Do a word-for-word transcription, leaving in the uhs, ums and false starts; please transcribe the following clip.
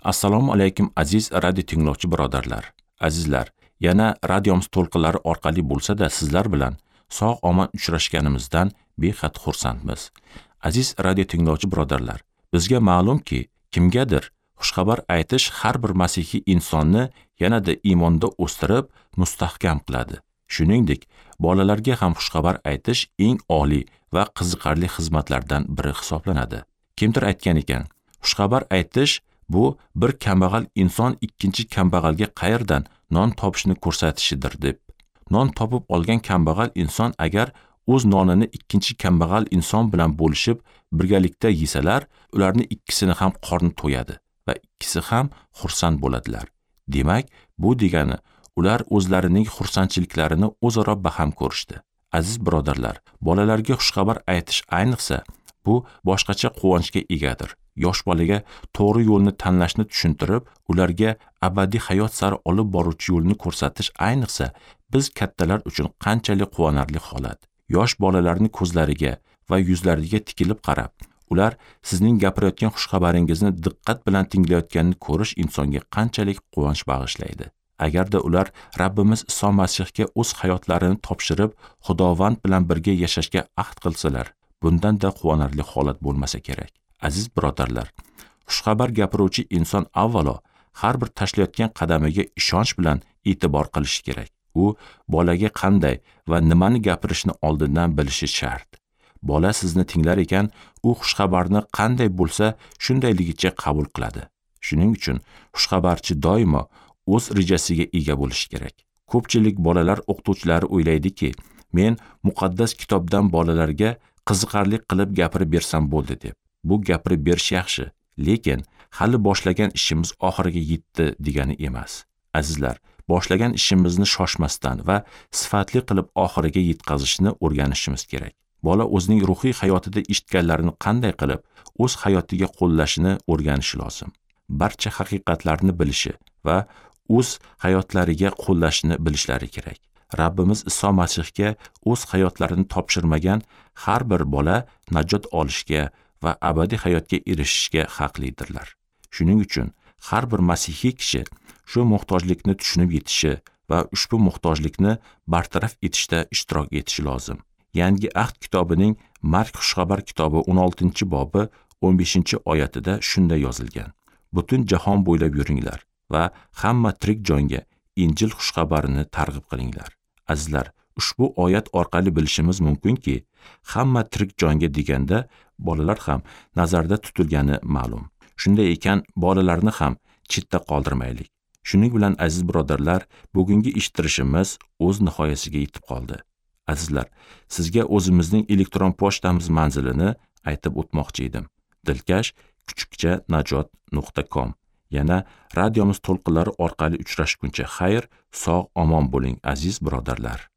Assalomu alaykum aziz radio tinglovchi birodarlar. Azizlar, yana radiomiz to'lqinlari orqali bo'lsa-da sizlar bilan sog' omon uchrashganimizdan behad xursandmiz. Aziz radio tinglovchi birodarlar, bizga ma'lumki, kimgadir xushxabar aytish har bir masihiy insonni yanada iymonda o'stirib, mustahkam qiladi. Shuningdek, bolalarga ham xushxabar aytish eng oliy va qiziqarli xizmatlardan biri hisoblanadi. Kimdir aytgan ekan, xushxabar aytish bu bir kambag'al inson ikkinchi kambag'alga qayerdan non topishni ko'rsatishidir deb. Non topib olgan kambag'al inson agar o'z nonini ikkinchi kambag'al inson bilan bo'lishib birgalikda yesalar, ularni ikkisini ham qorni to'yadi va ikkisi ham xursand bo'ladilar. Demak, bu degani ular o'zlarining xursandchiliklarini o'zaro baham ko'rishdi. Aziz birodarlar, bolalarga xushxabar aytish ayniqsa bu boshqacha quvonchga egadir. Yosh bolaga to'g'ri yo'lni tanlashni tushuntirib, ularga abadiy hayot sari olib boruvchi yo'lni ko'rsatish ayniqsa biz kattalar uchun qanchalik quvonarli holat. Yosh bolalarni ko'zlariga va yuzlariga tikilib qarab, ular sizning gapirayotgan xushxabaringizni diqqat bilan tinglayotganini ko'rish insonga qanchalik quvonch bag'ishlaydi. Agarda ular Rabbimiz Iso Masihga o'z hayotlarini topshirib, Xudovand bilan birga yashashga ahd qilsalar, bundan-da quvonarli holat bo'lmasa kerak. Aziz birodarlar, xushxabar gapiruvchi inson avvalo har bir tashlayotgan qadamiga ishonch bilan e'tibor qilishi kerak. U bolaga qanday va nimani gapirishni oldindan bilishi shart. Bola sizni tinglar ekan, u xushxabarni qanday bo'lsa shundayligicha qabul qiladi. Shuning uchun xushxabarchi doimo o'z rejasiga ega bo'lishi kerak. Ko'pchilik bolalar o'qituvchilari o'ylaydiki, men muqaddas kitobdan bolalarga qiziqarli qilib gapirib bersam bo'ldi deb. Bu gapirib berish yaxshi, lekin hali boshlagan ishimiz oxiriga yetdi degani emas. Azizlar, boshlagan ishimizni shoshmasdan va sifatli qilib oxiriga yetkazishni o'rganishimiz kerak. Bola o'zining ruhiy hayotida eshitganlarini qanday qilib o'z hayotiga qo'llashini o'rganishi lozim. Barcha haqiqatlarni bilishi va o'z hayotlariga qo'llashini bilishlari kerak. Rabbimiz Iso Masihga o'z hayotlarini topshirmagan har bir bola najot olishga va abadiy hayotga erishishga haqlidirlar. Shuning uchun har bir masihiy kishi shu muhtojlikni tushunib yetishi va ushbu muhtojlikni bartaraf etishda ishtirok etishi lozim. Yangi Ahd kitobining Mark xushxabar kitobi o'n oltinchi bobi o'n beshinchi oyatida shunday yozilgan: Butun jahon bo'ylab yuringlar va hamma tirik jonga Injil xushxabarini targ'ib qilinglar. Azizlar, ushbu oyat orqali bilishimiz mumkinki, hamma tirik jonga deganda bolalar ham nazarda tutilgani ma'lum. Shunday ekan, bolalarni ham chetda qoldirmaylik. Shuning bilan aziz birodarlar, bugungi eshittirishimiz o'z nihoyasiga yetib qoldi. Azizlar, sizga o'zimizning elektron pochtamiz manzilini aytib o'tmoqchi edim. Dilkash kuchukcha najot nuqta com. Yana radiomiz to'lqinlari orqali uchrashguncha xayr, sog' omon bo'ling aziz birodarlar.